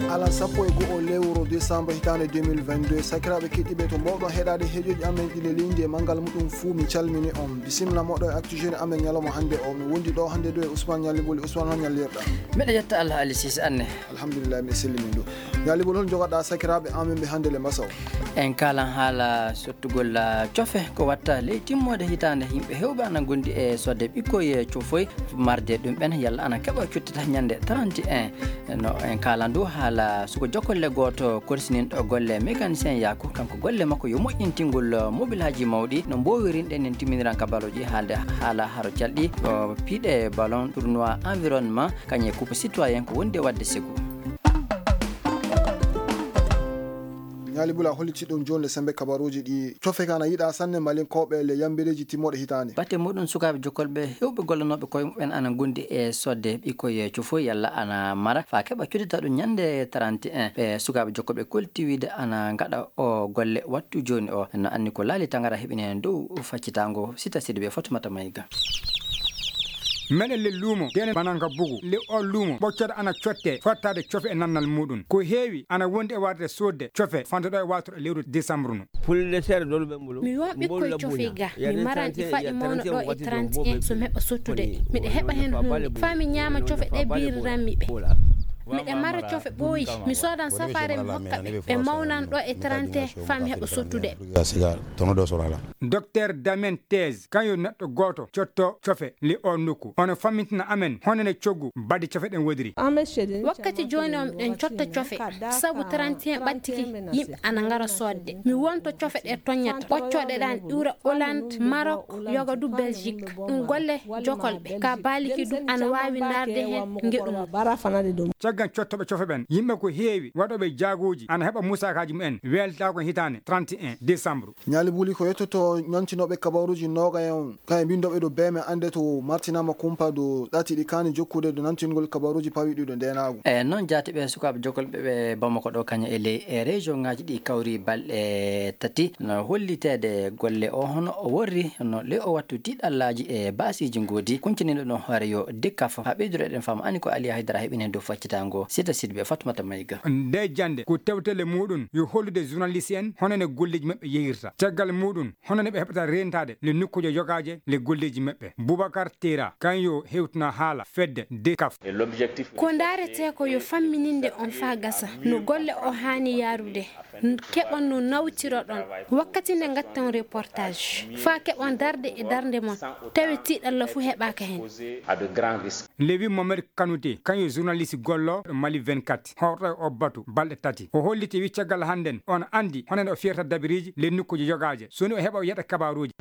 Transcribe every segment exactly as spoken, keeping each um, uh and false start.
Alan sappo e go'o lewru décembre hitaande deux mille vingt-deux, sakiraaɓe keɗiiɓe, to mbowɗon heɗaade heɗoji amen ɗi leliiji e manngal muɗum fuu, mi calmini on. Bisimilla moɗon e Actu Jeune amen ñalawma hannde o. Mi wondi ɗo hannde ɗo e Ousmane Ñalli Boli. Ousmane, hol ñallirɗa? Mbeɗa yetta Allah, Ali Sise, anne. Alhamdulillah, mi selli min ɗo. Ñalli Boli, hol jogaɗa sakiraaɓe amen ɓe hannde le masa o? En kaalan haala sottugol, ah, cofe ko watta ley timmoode hitaande. Yimɓe heewɓe ana ngondi e sodde ɓikkoy e cofoy marde ɗum ɓen, yalla ana keɓa cuttita ñande trente et un. No en kaalan du haala suko jokolle gooto korsininɗo golle mécanicien Yaku, kanko golle makko yo moƴƴintingol mobilaaji mawɗi. No mboowirinɗen nin timminiran kabaruuji haalde haala haro calɗi, o piiɗe ballon tournoi environnement, kañum e coupe citoyen ko wondi e waɗde segu. Ñaali Bula holliti ɗum jooni le sembe kabaruuji ɗi cofe ka ana yiɗa sanne Malinkooɓe le yambireeji timmooɗe hitaande. Batte muɗum, sukaaɓe jokkolɓe heewɓe gollanooɓe koye muɓɓen ana ngondi e sodde ɓikkoy e cofo yalla ana mara faa keɓa cuttita ɗum ñande trente et un. Ɓe sukaaɓe jokkolɓe koltiwiide ana ngaɗa o golle wattu jooni o. No anni ko Laali Tangara heɓini heen dow faccitaango. Sita Sidibe, Fatumata Mayga. Meɗen le luumo, denen bananka bugu. Le o luumo, ɓoccere ana cotte, fottaade cofe e nannal muɗum. Ko heewi, ana wondi e warde soodde cofe, fantoɗo e wattuɗo lewru décembre no. Pulde seeɗa dolu ɓe mbulu. Mi won ɓikkoy cofe ga, mi maran ɗi faɗi mawna ɗo e trente et un, so mi heɓa sottude ɗi. Miɗa heɓa heen huunde, faa mi ñaama cofe ɗe biiriranmi ɓe. Miɗa mara cofe ɓooyi, mi soodan safaare mi hokka ɓe, ɓe mawnan ɗo e trente et un, faa mi heɓa sottude. Docteur Damien Thèse, kañum yo neɗɗo gooto cotto cofe le o nokku. Ono fammintina amen honene coggu baɗde cofe ɗen wodiri. Wakkati jooni o miɗen cotta cofe, sabu trente et un ɓattiki, yimɓe ana ngara soodde. Mi wonto cofe ɗe toññata, ɓoccooɗe ɗan iwra Hollande, Maroc, yoga du Belgique. Ɗum golle jokolɓe, ka baaliki du ana waawi ndaarde heen ngeɗu mum. Caggal cottooɓe cofe ɓen, yimɓe ko heewi waɗooɓe jaaguuji ana heɓa musaakaaji mumen weeltaako hitaande trente et un décembre. Ñaali Buli, ko yettoto ñantinooɓe kabaruuji noogayen on, kañum binndooɓe ɗo beeme annde to martinaama kumpa ɗo ɗati ɗi kaani jokkude ɗo nantingol kabaruuji pawiɗi ɗo ndeenaagu. E noon jaati ɓe sukaaɓe jokolɓe ɓe Bamako ɗo kañum e ley e région ŋaaji ɗi kawri balɗe tati no holliteede golle o hono o worri no le o wattu tiɗallaaji e baasiiji ngoodi kunciniiɗo ɗon hoore yo dikka fof. Haa ɓeydureɗen faamu ani ko Aliya Haydara heɓini dow faccitaango Sita Sidbe Fatmata Mayga. Nde jannde ko tewtele muɗum yo hollude journaliste en hono ne golleeji maɓɓe yehirta. Caggal muɗum hono ne ɓe heɓata rentaade le nokkuuje yogaaje le golleeji maɓɓe. Boubacar Tera kan yo hewtino haala fedde de kaf. Ko ndaaretee ko yo fammininde on faa gasa no golle o haani yaarude, keɓon no nawtiroɗon wakkati nde ngatten reportage faa keɓon darde e darnde mon tawi tiiɗalla fuu heɓaaka heen. Lewi Mohamed Kanute kan yo journaliste gollo Mali vingt-quatre horɗo e o batu balɗe tati. O holliti wi caggal hannden on anndi hono ne o fiyata dabiriiji le nokkuuje yogaaje so ni o heɓa o yeɗa kabaruuji.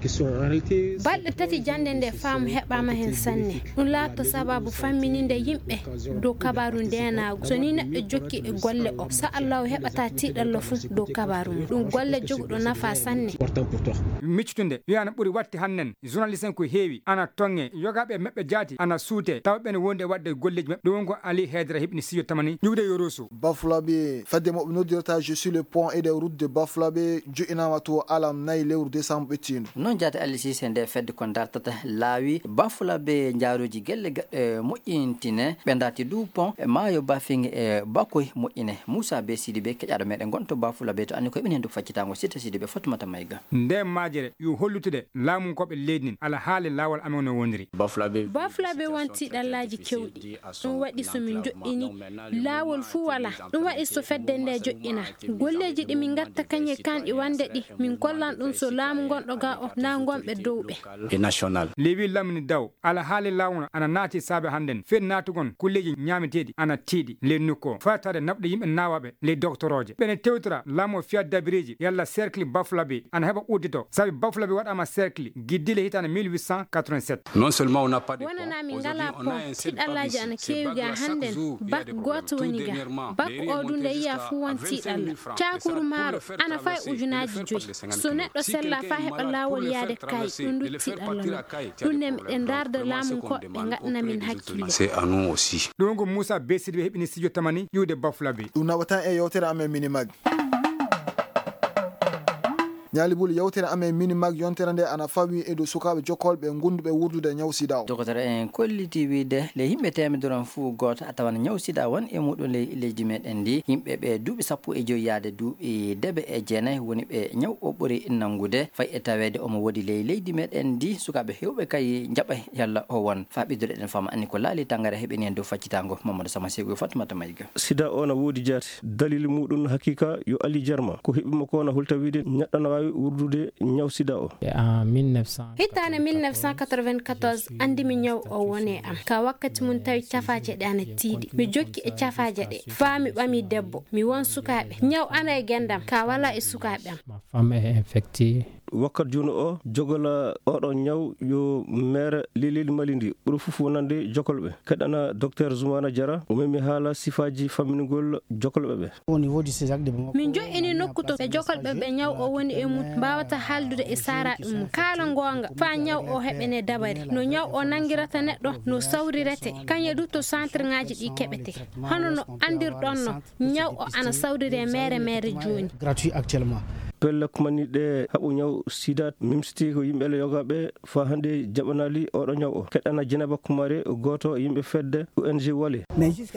Balɗe tati jannde nde faamu heɓaama heen sanne. Ɗum laatto sababu fammininde yimɓe dow kabaaru ndeenaagu. So ni neɗɗo jokki e golle o, sa Allahu heɓata tiiɗalla fuu dow kabaaru mum. Ɗum golle joguɗo nafa sanne. Miccutunde wiyano ɓuri watte hannen journaliste en ko heewi ana tonge yogaaɓe e maɓɓe jaati ana suute tawa ɓen wonde e waɗde golleeji maɓɓe. Ɗum won ko Ali Haydara heɓni studio tamani ƴuwde yo rosu. Bafulaɓe fedde mo ɓe noddirta Je suis le pont et des routes de Bafulaɓe joƴƴinaama to alam nayi lewru décembre ɓettiindu. Noon jaati Ali Sise nde fedde ko dartata laawi Bafulaɓe njaaruuji gelle gaɗɗe moƴƴintine ɓe darti du pont e maayo Bafinge e Bakoy moƴƴine. Moussa Be Sidibe keƴaɗo meɗen gonto Bafulaɓe to anni ko heɓini heen du faccitaango Sita Sidibe Fatumata Mayga. Nde majere yo hollutude laamunkooɓe leydi ndin alhaali laawol amen no woniri. Bafulaɓe won tiiɗallaaji kewɗi. Ɗum waɗi so min joƴƴini laawol fuu walaa. Ɗum waɗi so fedde nde joƴƴina golleeji ɗi min ngatta kañe kanɗi wande ɗi min kollan ɗum so laamu gonɗo ga o na gonɓe dow ɓe. Lewi Lamini Daw, alhaali laawol ana naati saabe hannden fed naatugon kulleeji ñaameteeɗi ana tiiɗi ley nokku o fataade naɓde yimɓe naawaaɓe ley doktorooje. Ɓene tewtora laamu o fiya dabireeji yalla cercle Bafulaɓe ana heɓa uddito sabi Bafulaɓe waɗaama cercle giddile hitaande mille huit cent quatre-vingt-sept. Wonanaa min ngalaa pont, tiiɗallaaji ana keewi ga hannden. Bak gooto woni ga. Bak o du nde yiya fuu won tiiɗalla. Caakuru maaro ana fay ujunaaji joyi. So neɗɗo sella faa heɓa laawol yaade kay ɗum du tiiɗalla non. Ɗum ne miɗen ndaarda laamunkooɓe ɓe ngaɗana min hakkille. Ɗum ko Moussa Be Sidibe heɓini studio tamani ƴuwde Bafulaɓe. Ɗum naɓatan e yewtere amen Minimag. Ñaali Buli, yewtere amen Mini Mag yontere nde ana fawi e dow sukaaɓe jokkolɓe ngonnduɓe wurdude ñaw sida o. Dokotoro en kolliti wiide ley yimɓe teemedere on fuu gooto a tawan ñaw sida won e muɗum ley leydi meɗen ndi. Yimɓe ɓe duuɓi sappo e jowi yaade duuɓi deebe e jeenayi woni ɓe ñaw o ɓuri nanngude. Fay e taweede omo woodi ley leydi meɗen ndi, sukaaɓe heewɓe kay njaɓa yalla o won. Faa ɓeydude eɗen fama anni ko laali tangara heɓini en dow faccitaango Mamadou Sama Segu e Fatumata Mayga. Sida o na woodi jaate. Dalili muɗum hakiika yo Ali Jarma. Ko heɓi mo ko na hulta wiide neɗɗo na waawi wurdude ñaw sida o. En mille neuf cent quatre-vingt-quatorze, anndi mi ñaw o woni e am. Ka wakkati mum tawi cafaaje ɗe ana tiiɗi. Mi jokki e cafaaje ɗe. Faa mi ɓami debbo. Mi won sukaaɓe. Ñaw ana e gendam. Ka wala e sukaaɓe am. Ma femme est infectée. Wakkat jooni o jogola oɗo ñaw yo meere lilil Mali ndi ɓuri fof wonande jokolɓe. Keɗana Docteur Zoumana Diarra, o memi haala sifaaji famminugol jokolɓe ɓe. Min joƴƴini nokku to ɓe jokolɓe ɓe ñaw o woni e mum mbaawata haaldude e saaraaɓe mum. Kaala ngoonga, faa ñaw o heɓene dabari. No ñaw o nanngirata neɗɗo, no sawrirete. Kañe du to centre ŋaaji ɗi keɓete. Hono no anndirɗon no, ñaw o ana sawrire meere meere jooni. Pelle kumani ɗe haɓu ñaw sida, mimsiti ko yimɓe le yoga ɓe faa hannde jaɓanaali oɗo ñaw o. Keɗana Jenaba Kumare, gooto yimɓe fedde O N G Wale.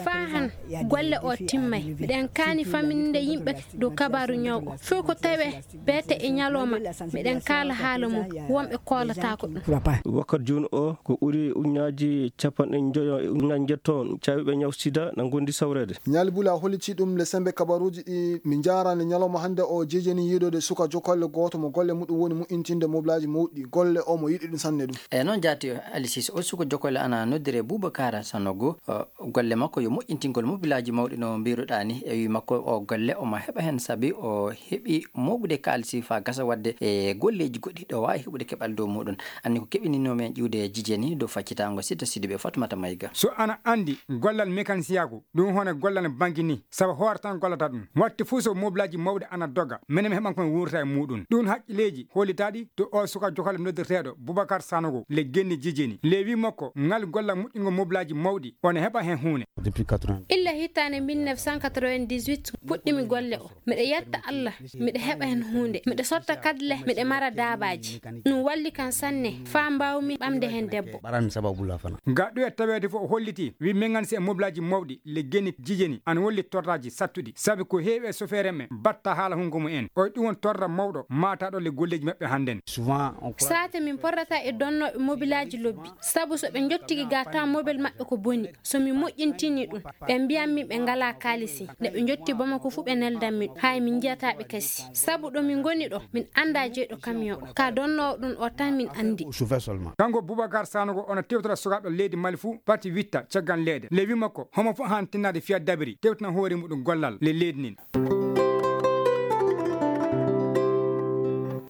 Faa han golle o timmay. Miɗen kaani fammininde yimɓe dow kabaaru ñaw o. Fow ko tawe beete e ñalawma, miɗen kaala haala mum. Wonɓe koolataako ɗum. Wakkat jooni o, ko ɓuri uñaaji capanɗe njoyo e uñaaji njetto on caawiiɓe ñaw sida na ngondi sawreede. Ñaali Buli a holliti ɗum le sembe kabaruuji ɗi. Min njaaraani ñalawma hannde o jejeni yiɗode suka jokolle gooto mo golle muɗum woni moƴƴintinde moblaaji mawɗi. Golle o mo yiɗi ɗum sanne ɗum. E noon jaati Ali Sise, o suka jokolle ana noddire Bubakar Sanogo. O, golle makko yo moƴƴintingol moblaaji mawɗi no mbiruɗaa ni. E wi makko o golle omo heɓa heen sabi o heɓi mooɓude kaalisi faa gasa waɗde e golleeji goɗɗi ɗo waawi heɓude keɓal dow muɗum. Anni ko keɓininoo men ƴiwde jijeni dow faccitaango Sita Sidibe Fatumata Mayga. So ana anndi gollal mekanisiyaaku, ɗum hono gollal banki ni, sabu hoore tan gollata ɗum. Waɗti fof so moblaaji mawɗi ana doga, menen mi heɓan ko mi wuurta e muɗum. Ɗum haqqileeji hollitaaɗi to o suka jokolle noddirteeɗo Boubacar Sanogo le genni jijeni. Le wi makko, ngal gollal moƴƴingo moblaaji mawɗi, ona heɓa heen huunde. Illa hitaande mille neuf cent quatre-vingt-dix-huit puɗɗimi golle o. Miɗa yetta Allah, miɗa heɓa heen huunde. Miɗa sotta kadle, miɗa mara daabaaji. Ɗum walli kan sanne, faa mbaawmi ɓamde heen debbo. Ga ɗo e taweede fof o holliti, wi mengan si e moblaaji mawɗi, le geni jijeni, ana wolli torraaji sattuɗi. Sabi ko heewi e sofeere men, batta haala hungo mum en. O ɗum won torra mawɗo, maataɗo le golleeji maɓɓe hannden. Saate min porrata e donnooɓe mobilaaji lobbi. Sabu so ɓe njottiki ga taw mobil maɓɓe ko boni. So mi moƴƴintini ɗum, ɓe mbiyan min ɓe ngalaa kaalisi. Nde ɓe njotti Bamako fu ɓe neldan min. Hay min njiyataa ɓe kasi. Sabu ɗo min ngoni ɗo, min anndaa jeyɗo kamiyon o. Ka donnoowo ɗum o tan min anndi. Kanko Boubacar Sanogo ona tewtora sukaaɓe leydi Mali fu, parti witta caggan leyɗe. Le wi makko, homo fu haan tinnaade fiya dabiri, tewtina hoore muɗum gollal le leydi nin.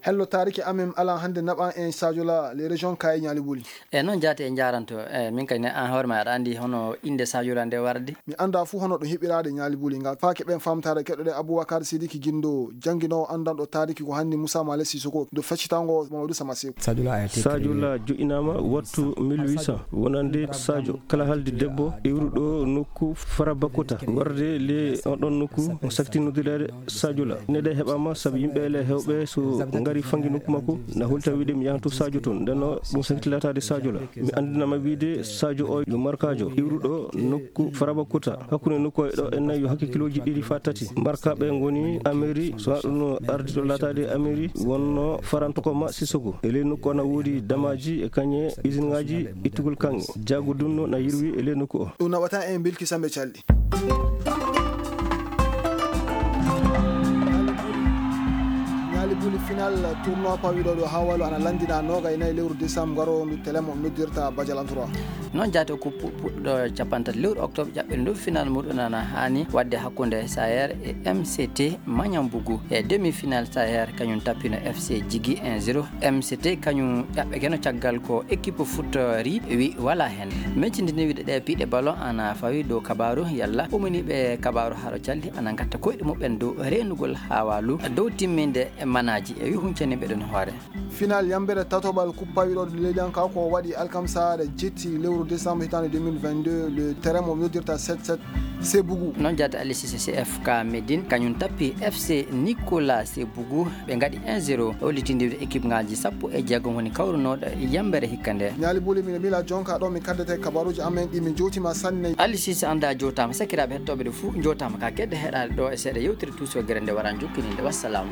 Hello, taariki amen ala hannde naɓan en Sadio La, les régions Kaye Ñaali Buli. E noon jaati en njaaranto, e min kadi ne, aan hoore ma aɗa anndi hono innde Sadio La nde wardi? Mi anndaa fuu hono ɗum heɓiraade Ñaali Buli ngal. Faake ɓen faamtaare keɗoɗen Aboubacar Sidiki Gindo, jannginoowo anndanɗo taariki ko hanndi Moussa Male Sissoko, do feccitango Mamadou Sama Seku. Sadio La joƴƴinaama wattu mille huit cent, wonande Sadio. Kala haaldi debbo iwruɗo nokku Farabakota, warde le on ɗon nokku, mo sakti noddireede Sadio La. Ine ɗe heɓaama sabu yimɓe ele heewɓe so ngari fangi nokku makko, na holta wiide mi yahan to Sadio toon. Nden o ɗum sakti laataade Sadio La. Mi anndinama wiide Sadio o yo markaajo iwruɗo nokku Farabakota. Hakkunde nokku e ɗo en nayi yo hakke kilooji ɗiɗi faa tati. Markaaɓe ngoni Ameri, so ɗum ardi to laataade Ameri, wonno Farantokoma Sissoko. E ley nokku o na woodi damaaji e kañe isinŋaaji ittugol kaŋŋe. Jaago dunno na yirwi e ley nokku o. Ɗum naɓata en Bilki Sambe Calɗi. Ñaali Buli final tournoi pawiɗo ɗo haa walo ana lanndina nooga e nayi lewru décembre garowo ndu telemo noddirta Badial Antrois. Noon jaati o ko pu-, puɗɗo capanɗe tati lewru octobre ƴaɓɓel ndu final muɗum ana haani waɗde hakkunde Sayer e M C T Mañambugu e demi final Sayer kañum tappino F C Jigi un zéro. M C T kañum ƴaɓɓekeno caggal ko équipe foot ri wi wala heen. Meccindini wiɗe ɗe piɗe ballon ana fawi dow kabaaru yalla uminiiɓe kabaaru haro calli ana ngatta koyɗe muɓɓen dow reenugol haa waalu dow timminde manaaji. E wi huncani mbeɗen hoore. Final yambere tatoɓal kuppa wiɗoɗo leydiyanka ko waɗi alkamsaare jetti lewru décembre hitaande deux mille vingt-deux, le terrain mo noddirta sept sept Sebugu. Noon jaata Aliou Cissé, C F K Médine kañum tappi F C Nicolas Sebugu, ɓe ngaɗi un zéro, hollitinde équipe ngaji sappo e jeegom woni kawrunooɗo yambere hikka nde. Ñaali Buli, mino mila jonka ɗo mi kaddete kabaruji amen ɗi mi jowtima sanne. Aliou Cissé, anda jowtama, sakiraɓe hettooɓe ɗe fuu jowtama ka kedde heɗaade ɗo e seeɗa yewtere Tuuso Gere nde wara jokkininde. Wassalam.